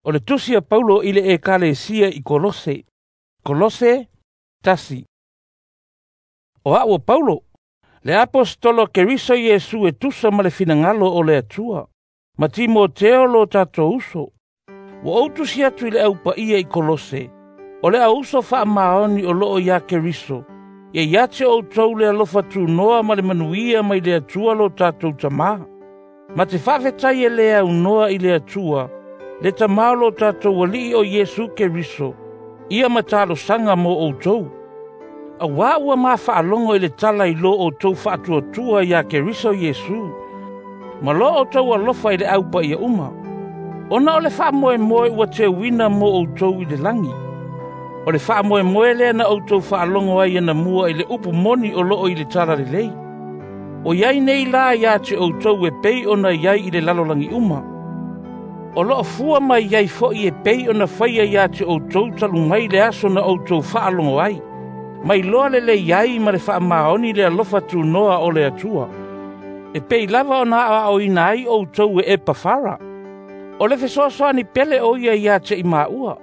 O le tusi a Paulo i le Ekalesia i Kolose. Kolose 1. O a'u o Paulo, le aposetolo a Keriso Iesu e tusa ma le finagalo o le Atua, ma Timoteo lo tatou uso. Ua ou tusi atu i le aupaia i Kolose, o le auuso faamaoni o loo ia Keriso, ia ia te outou le alofa tunoa ma le manuia mai le Atua lo tatou Tamā. Ma te faafetai e le aunoa i le Atua, le Tamā o lo tatou Alii o Iesu Keriso, ia ma talosaga mo outou. Auā ua mafaalogo i le tala i lo outou faatuatua ia Keriso Iesu, ma lo outou alofa i le aupaia uma. Ona o le faamoemoe ua teuina mo outou i le lagi. O le faamoemoe lea na outou faalogo ai anamua i le upu moni o loo i le tala lelei. O iai nei la ia te outou e pei ona iai i le lalolagi uma. O loo fua mai ai foi e pei ona faia ia te outou talu mai le aso na outou faalogo ai, mai loa lelei ai ma le faamaoni le alofa tunoa o le Atua. E pei lava ona aoaoina ai outou e Epafara. O le fesoasoani pele o ia ia te i maua.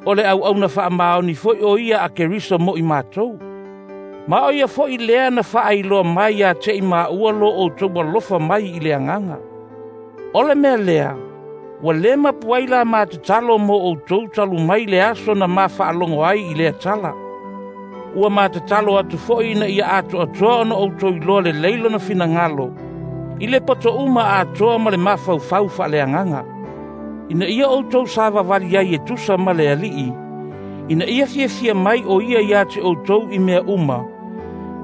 O le auauna faamaoni foi o ia a Keriso mo i matou. Ma o ia foi lea na faailoa mai ia te i maua lo outou alofa mai i le agaga. O le mea lea, ua le mapu ai la matatalo mo outou talu mai le aso na mafaalogo ai i lea tala. Ua matatalo atu foi ina ia atoatoa ona outou iloa lelei lona finagalo, i le poto uma atoa ma le mafaufau faaleagaga. Ina ia outou savavali ai e tusa ma le Alii, ina ia fiafia mai o ia ia te outou i mea uma,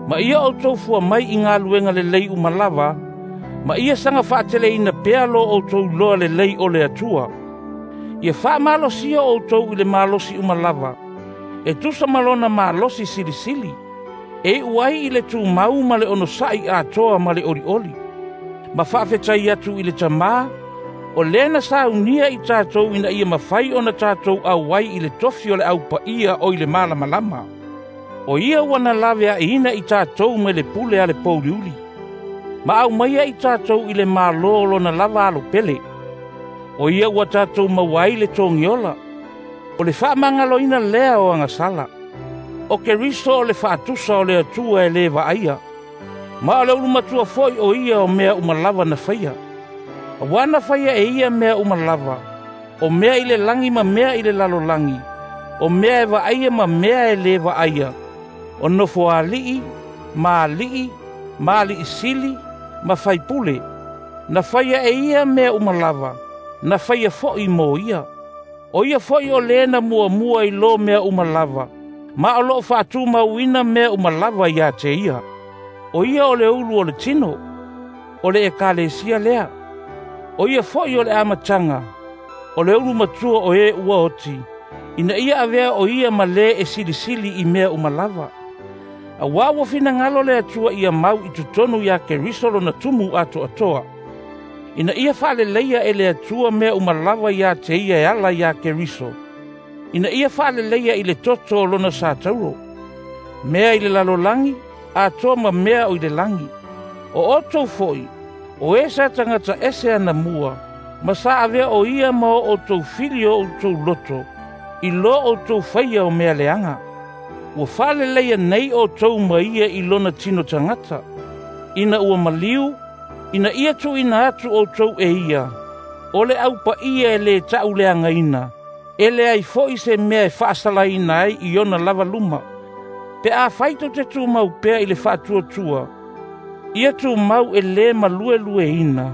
ma ia outou fua mai i galuega lelei uma lava, ma ia saga faateleina pea lo outou iloa lelei o le Atua. Ia faamalosia outou i le malosi uma lava, e tusa ma lona malosi silisili, e iu ai i le tumau ma le onosai atoa ma le olioli. Ma faafetai atu i le Tamā, o lea na saunia i tatou ina ia mafai ona tatou auai i le tofi o le aupaia o i le malamalama. O ia ua na laveaiina i tatou mai le pule a le pouliuli, ma aumaia i tatou i le malo o lona lava alo pele. O ia ua tatou maua ai le togiola, o le faamagaloina lea o agasala. O Keriso o le faatusa o le Atua e le vaaia, ma o le ulumatua foi o ia o mea uma lava na faia. Auā na faia e ia mea uma lava, o mea i le lagi ma mea i le lalolagi, o mea e vaaia ma mea e le vaaia, o nofoalii, ma alii, ma alii sili, ma faipule. Na faia e ia mea uma lava, na faia foi mo ia. O ia foi o le na muamua i lo mea uma lava, ma o loo faatumauina mea uma lava ia te ia. O ia o le ulu o le tino, o le Ekalesia lea. O ia foi o le amataga, o le ulu matua o e ua oti, ina ia avea o ia ma le e silisili i mea uma lava. Auā ua finagalo le Atua ia mau i totonu ia Keriso lona tumu atoatoa, ina ia faaleleia e le Atua mea uma lava ia te ia e ala ia Keriso, ina ia faaleleia i le toto o lona satauro, mea i le lalolagi, atoa ma mea o i le lagi. O outou foi, o e sa tagata ese anamua, ma sa avea o ia ma o outou fili o outou loto, i lo outou faia o mea leaga. Ua faaleleia nei outou ma ia i lona tino tagata, ina ua maliu, ina ia tuuina atu outou e ia, o le aupaia e le tauleagaina, e leai foi se mea e faasalaina ai i ona lava luma. Pe afai tou te tumau pea i le faatuatua, ia tumau e le maluelueina,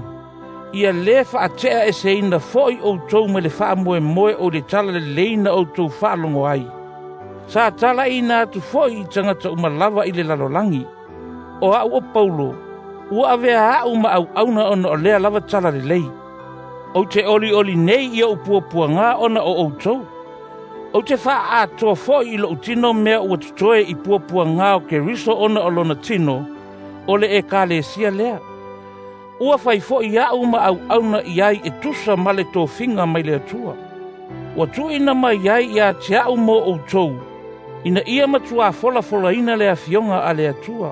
ia le faatea eseina foi outou mai le faamoemoe o le tala lelei na outou faalogo ai. Sa talaina atu foi i tagata uma lava i le lalolagi. O a'u o Paulo, ua avea a'u ma auauna ona o lea lava tala lelei. Ou te olioli nei i ou puapuaga ona o outou. Ou te faaatoa foi i lou tino mea ua totoe i puapuaga o Keriso ona o lona tino, o le Ekalesia lea. Ua fai foi a'u ma auauna i ai e tusa ma le tofiga mai le Atua. Ua tuuina mai ai ia te a'u mo outou, ina ia matuā folafolaina le afioga a le Atua.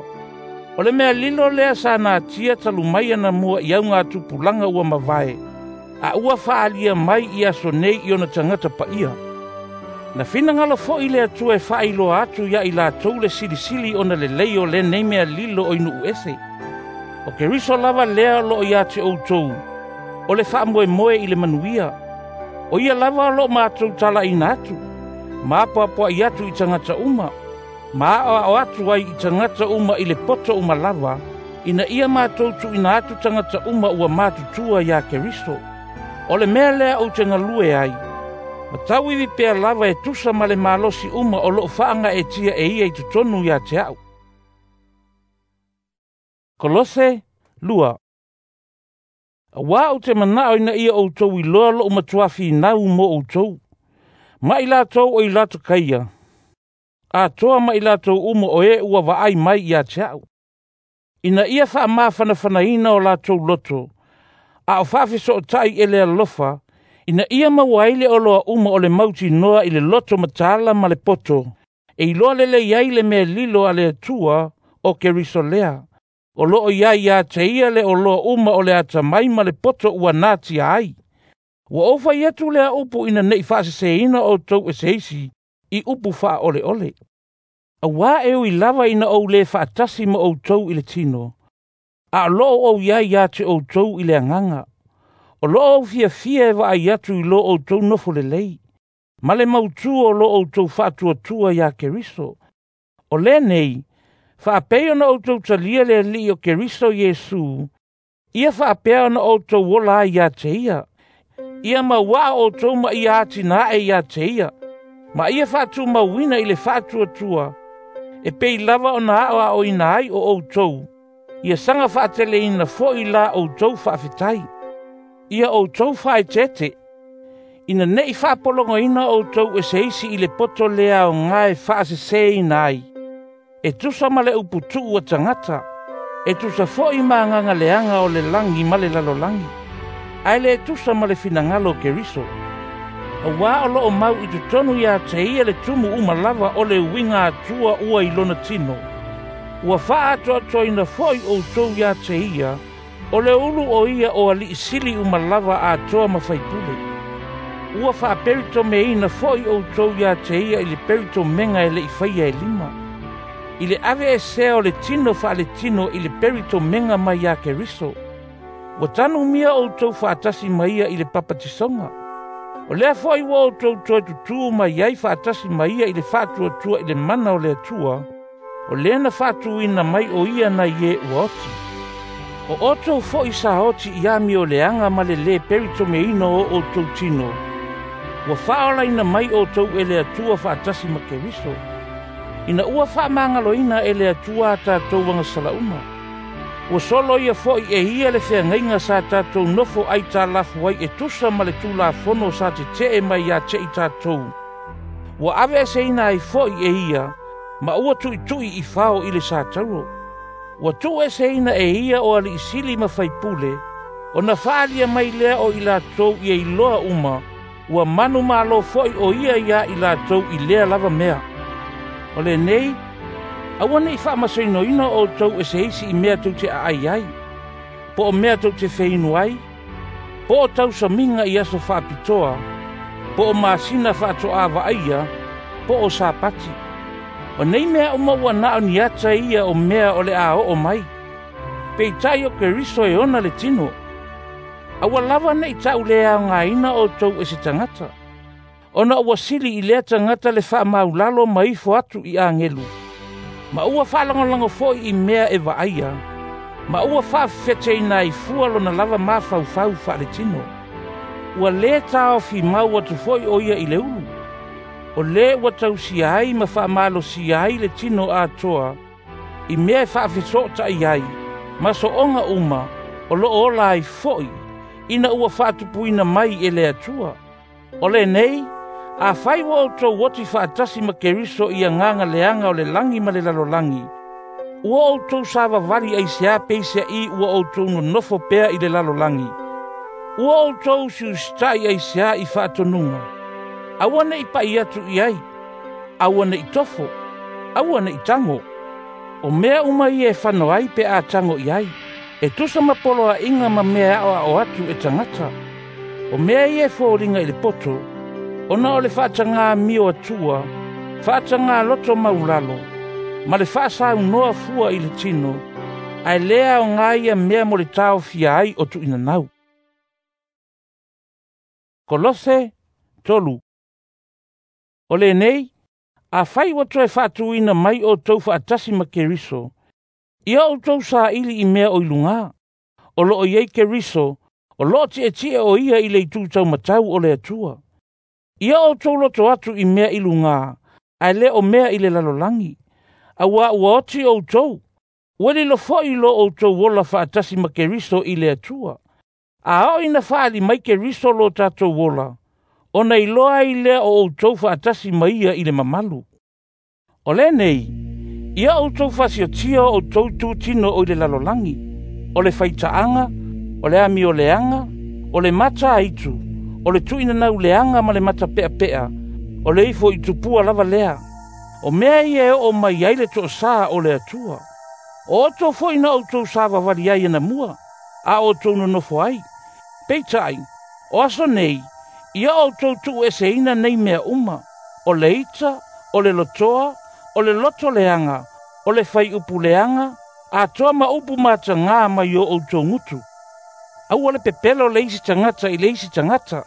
O le mea lilo lea sa natia talu mai anamua i auga tupulaga ua mavae, A ua faalia mai i aso nei i ona tagata paia. Na finagalo fo'i le Atua e faailoa atu ia i latou le silisili ona lelei o lenei mea lilo o i nuu ese. O Keriso lava lea o loo ia te outou, o le faamoemoe i le manuia. O ia lava o loo matou talaina atu, ma apoapoai atu i tagata uma, ma aoao atu ai i tagata uma i le poto uma lava, ina ia matou tuuina atu tagata uma ua matutua ia Keriso. O le mea lea ou te galue ai, ma tauivi pea lava e tusa ma le malosi uma o loo faagaeetia e ia i totonu ia te au. Kolose 2. Auā ou te manao ina ia outou iloa lou matua finau mo outou, ma i latou o i Latokaia, atoa ma i latou uma o e ua vaai mai ia te au. Ina ia faamafanafanaina o latou loto, a o faafesootai e le alofa, ina ia maua ai le oloa uma o le mautinoa i le loto mataala ma le poto, e iloa lelei ai le mea lilo a le Atua o Keriso lea. O loo iai ia te ia le oloa uma o le atamai ma le poto ua natia ai. Ua ou fai atu lea upu ina nei faaseseina outou e se isi i upu faaoleole. Auā e ui lava ina ou le faatasi ma outou i le tino, a o loo ou iai ia te outou i le agaga. O loo ou fiafia e vaai atu i lo outou nofo lelei, ma le mautū o lo outou faatuatua ia Keriso. O lenei, faapei ona outou talia le Alii o Keriso Iesu, ia faapea ona outou ola ai ia te ia. Ia mauaa outou ma ia atinae ia te ia, ma ia faatumauina i le faatuatua, e pei lava ona aoaoina ai o outou, ia saga faateleina fo'i la outou faafetai. Ia outou faaeteete, ina nei faapologoina outou e se isi i le poto le aoga e faaseseina ai, e tusa ma le uputuu a tagata, e tusa fo'i ma agaga leaga o le lagi ma le lalolagi, ae le tusa ma le finagalo o Keriso. Auā o loo mau i totonu ia te ia le tumu uma lava o le uiga Atua ua i lona tino. Ua faaatoatoaina fo'i outou ia te ia, o le ulu o ia o alii sili uma lava atoa ma faipule. Ua faaperitomeina fo'i outou ia te ia i le peritomega e le'i faia e lima. I le aveesea o le tino faaletino i le peritomega mai ia Keriso. Ua tanumia outou faatasi ma ia i le papatisoga. O lea fo'i ua outou toe tutū mai ai faatasi ma ia i le faatuatua i le mana o le Atua, o lea na faatuina mai o ia nai e ua oti. O outou fo'i sa oti i amioleaga ma le lē peritomeina o outou tino, ua faaolaina mai outou e le Atua faatasi ma Keriso. Ina ua faamagaloina e le Atua a tatou agasala uma. Ua solo ia fo'i e ia le feagaiga sa tatou nofo aitalafu ai e tusa ma le Tulafono sa tetee mai ia te i tatou. Ua aveeseina ai fo'i e ia, ma ua tuitui i fao i le satauro. Ua tuueseina e ia o alii sili ma faipule, ona faalia mai lea o i latou ia iloa uma, ua manumalo fo'i o ia ia i latou i lea lava mea. O lenei, aua nei faamasoinoina outou e se isi i mea tou te aai ai, po o mea tou te feinu ai, po o tausamiga i aso faapitoa, po o masina faatoā vaaia, po o Sapati. O nei mea uma ua na o ni ata ia o mea o le a oo mai. Peitai o Keriso e ona le tino. Aua lava nei tau le aogaina outou e se tagata. Ona ua sili i lea tagata le faamaulalo ma ifo atu i agelu. Ma ua faalagolago fo'i i mea e vaaia, ma ua faafefeteina ai fua lona lava mafaufau faaletino. Ua lē taofi mau atu fo'i o ia i le ulu. O lē ua tausia ai ma faamalosia ai le tino atoa, i mea e faafesootai ai, ma sooga uma, o loo ola ai fo'i, ina ua faatupuina mai e le Atua. O lenei, afai ua outou oti faatasi ma Keriso i agaga leaga o le lagi ma le lalolagi, ua outou savavali aisea peiseai ua outou nonofo pea i le lalolagi. Ua outou usiusitai aisea i faatonuga. Aua nei pai atu i ai, aua nei tofo, aua nei tago. O mea uma ia e fano ai pe a tago i ai, e tusa ma poloaiga ma mea e aoao atu e tagata. O mea ia e foliga i le poto, ona o le faatagā amio atua, faatagā loto maulalo, ma le faasaunoa fua i le tino, ae lē aogā ia mea mo le taofia ai o tuuinanau. Kolose 3. O lenei, afai ua toe faatuina mai outou faatasi ma Keriso, ia outou saili i mea o i lugā, o loo i ai Keriso, o loo tietie o ia i le itu taumatau o le Atua. Ia outou loto atu i mea i lugā, ae le o mea i le lalolagi, auā ua oti outou, ua lilo foi lo outou ola faatasi ma Keriso i le Atua. A oo ina faaali mai Keriso lo tatou ola, ona iloa ai lea o outou faatasi ma ia i le mamalu. O lenei, ia outou faasiotia o outou itutino o i le lalolagi, o le faitaaga, o le amioleaga, o le mata aitu, o le tuuinanau leaga ma le matapeapea, o le ifo i tupua lava lea. O mea ia e oo mai ai le toosā o le Atua. O outou foi na outou savavali ai anamua, a outou nonofo ai. Peitai, o aso nei, ia outou tuueseina nei mea uma, o le ita, o le lotoa, o le loto leaga, o le faiupu leaga, atoa ma upu matagā mai o outou gutu. Aua le pepelo le isi tagata i le isi tagata.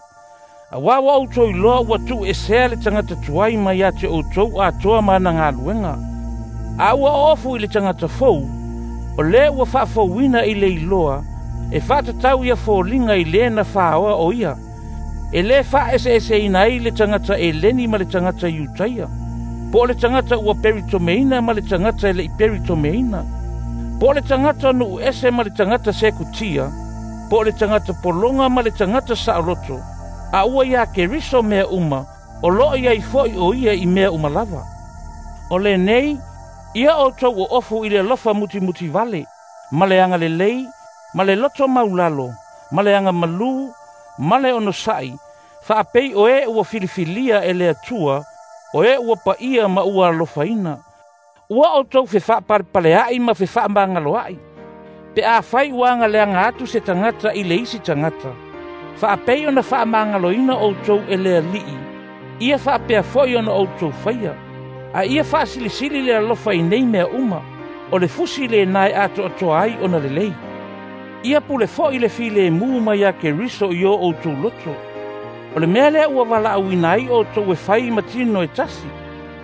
Auā ua outou iloa ua tuuesea le tagata tuai mai ia te outou atoa ma ana galuega. A ua oofu i le tagata fou, o lē ua faafouina i le iloa, e faatatau ia foliga i le na faaoa o ia. E lē faaeseeseina ai le tagata Eleni ma le tagata Iutaia, po o le tagata ua peritomeina ma le tagata e le'i peritomeina, po o le tagata nuu ese ma le tagata Sekutia, po o le tagata pologa ma le tagata saoloto, a ua iā Keriso mea uma, o loo i ai foi o ia i mea uma lava. O lenei, ia outou oofu i le alofa mutimutivale, ma le agalelei, ma le loto maulalo, ma le agamalū, ma le onosa'i, faapei o e ua filifilia e le Atua, o e ua paia ma ua alofaina. Ua outou fefaapalepalea'i ma fefaamagaloa'i, pe afai ua agaleaga atu se tagata i le isi tagata. Faapei ona faamagaloina outou e le Alii, ia faapea foi ona outou faia. A ia faasilisili le alofa i nei mea uma, o le fusi lenā e atoatoa ai ona lelei. Ia pule foi le filemu mai ia Keriso i o outou loto. O le mea lea ua valaauina ai outou e fai ma tino e tasi,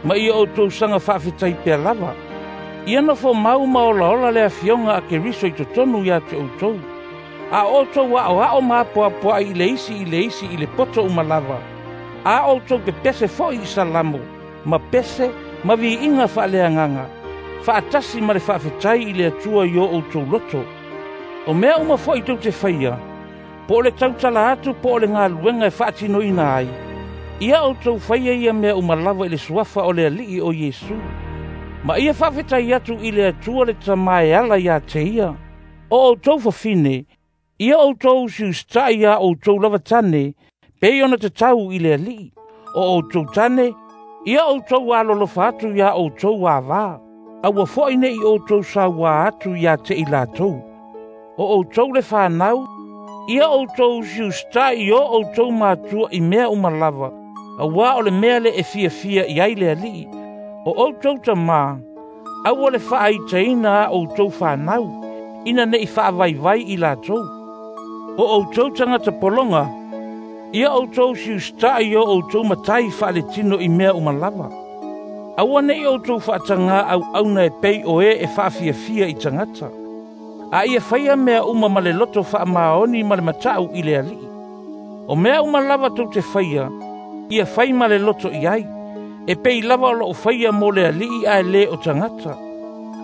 ma ia outou saga faafetai pea lava. Ia nofo mau ma olaola le afioga a Keriso i totonu ia te outou. A outou aoao ma apoapoai i le isi i le isi i le poto uma lava. A outou pepese foi i salamo, ma pese, ma viiga faaleagaga, faatasi ma le faafetai i le Atua i o outou loto. O mea uma foi tou te faia, po o le tautala atu po o le galuega e faatinoina ai, ia outou faia ia mea uma lava i le suafa o le Alii o Iesu. Ma ia faafetai atu i le Atua le Tamā e ala ia te ia. O outou fafine, ia outou usiusitai iā outou lava tane, pei ona tatau i le Alii. O outou tane, ia outou alolofa atu iā outou avā, aua foi ne'i outou sauā atu ia te i latou. O outou le fanau, ia outou usiusitai i o outou matua i mea uma lava, auā o le mea lea e fiafia i ai le Alii. O outou tamā, aua le faaitaina a outou fanau, ina ne'i faavaivai i latou. O outou tagata pologa, ia outou usiusitai i o outou matai faaletino i mea uma lava. Aua ne'i outou faatagā auauna e pei o e e faafiafia i tagata. A ia faia mea uma ma le loto faamaoni ma le matau i le Alii. O mea uma lava tou te faia, ia fai ma le loto i ai, e pei lava o loo faia mo le Alii ae lē o tagata.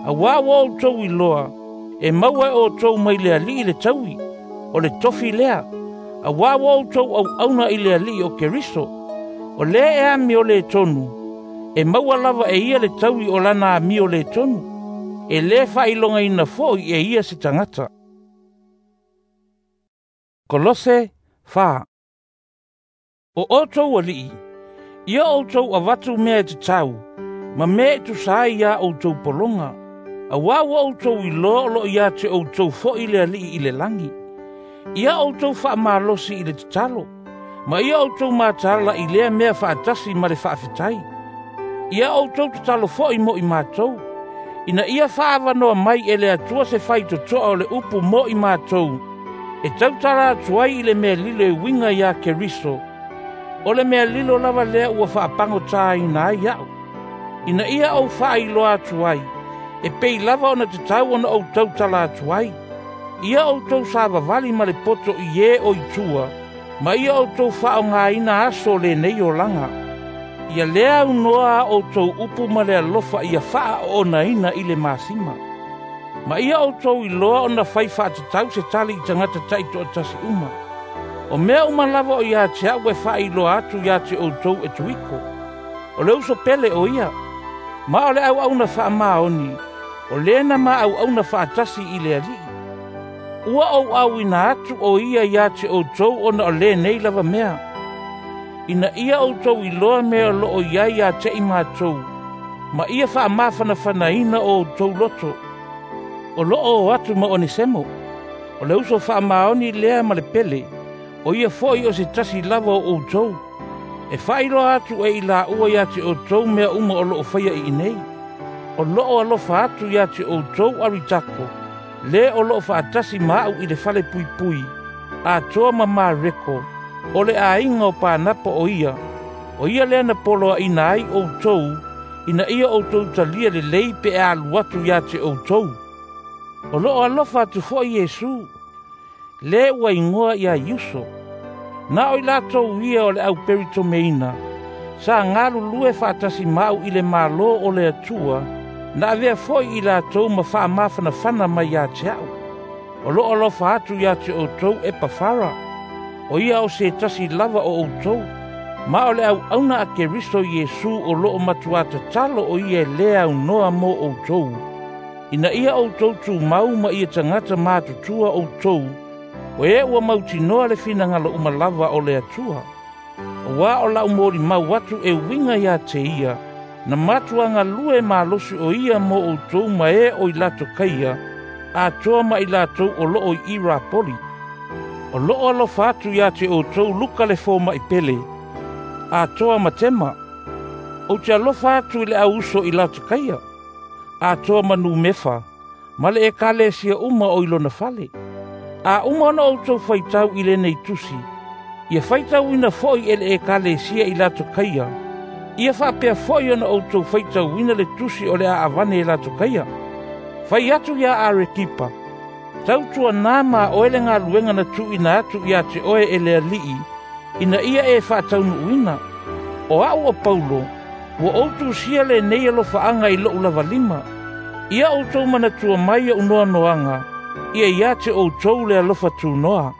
Auā ua outou iloa, e maua e outou mai le Alii le taui, o le tofi lea, auā ua outou auauna i le Alii o Keriso. O lē e amio lē tonu, e maua lava e ia le taui o lana amio lē tonu. E lē faailogaina foi e ia se tagata. Kolose 4. O outou alii, ia outou avatu mea e tatau, ma mea e tusa ai iā outou pologa, auā ua outou iloa o loo ia te outou foi le Alii i le lagi. Ia outou faamalosi i le tatalo, ma ia outou mataala i lea mea faatasi ma le faafetai. Ia outou tatalo foi mo i matou, ina ia faaavanoa mai e le Atua se faitotoa o le upu mo i matou, e tautala atu ai i le mea lilo e uiga ia Keriso, o le mea lilo lava lea ua faapagotāina ai a'u, ina ia ou faailoa atu ai, e pei lava ona tatau ona ou tautala atu ai. Ia outou savavali ma le poto i e o i tua, ma ia outou faaaogaina aso o lenei olaga. Ia lea aunoa a outou upu ma le alofa ia faaoonaina i le masima. Ma ia outou iloa ona fai faatatau se tali i tagata taitoatasi uma. O mea uma lava o ia te a'u e faailoa atu ia te outou e Tuiko. O le uso pele o ia, ma o le auauna faamaoni, o lena ma auauna faatasi i le Alii. Ua ou auina atu o ia ia te outou ona o lenei lava mea, ina ia outou iloa mea o loo i ai ia te i matou, ma ia faamafanafanaina o outou loto. O loo o atu ma Onesemo, o le uso faamaoni lea ma le pele, o ia foi o se tasi lava o outou, e faailoa atu e i laua ia te outou mea uma o loo faia i inei. O loo alofa atu ia te outou Aritako, le o loo faatasi ma a'u i le fale puipui, atoa ma Mareko, o le aiga o Panapa o ia lea na poloaina ai outou, ina ia outou talia lelei pe alu atu ia te outou. O loo alofa atu foi Iesu, le ua igoa ia Iuso. Na o i latou ia o le au peritomeina, sa galulue faatasi ma a'u i le malo o le Atua, na avea foi i latou ma faamafanafana mai ia te a'u. O loo alofa atu ia te outou Epafara, o ia o se tasi lava o outou, ma o le auauna a Keriso Iesu o loo matuā tatalo o ia e lē aunoa mo outou, ina ia outou tumau ma ia tagata matutua outou, o e ua mautinoa le finagalo uma lava o le Atua. Auā o la'u molimau atu e uiga ia te ia, na matuā galue malosi o ia mo outou ma e o i Latokaia, atoa ma i latou o loo i Irapoli. O loo alofa atu ia te outou Luka le fomaʻi pele, atoa ma Tema. Ou te alofa atu i le au uso i Latokaia, atoa ma Numefa, ma le ekalesia uma o i lona fale. A uma ona outou faitau i lenei tusi, ia faitauina foi e le ekalesia i Latokaia, ia faapea foi ona outou faitauina le tusi o le aavane e Latokaia. Fai atu ia Arekipa, tautuanā ma oe le galuega na tuuina atu ia te oe e le Alii, ina ia e faataunuuina. O a'u o Paulo, ua ou tusia lenei alofaaga i lo'u lava lima. Ia outou manatua mai o'u noanoaga, ia ia te outou le alofa tunoa.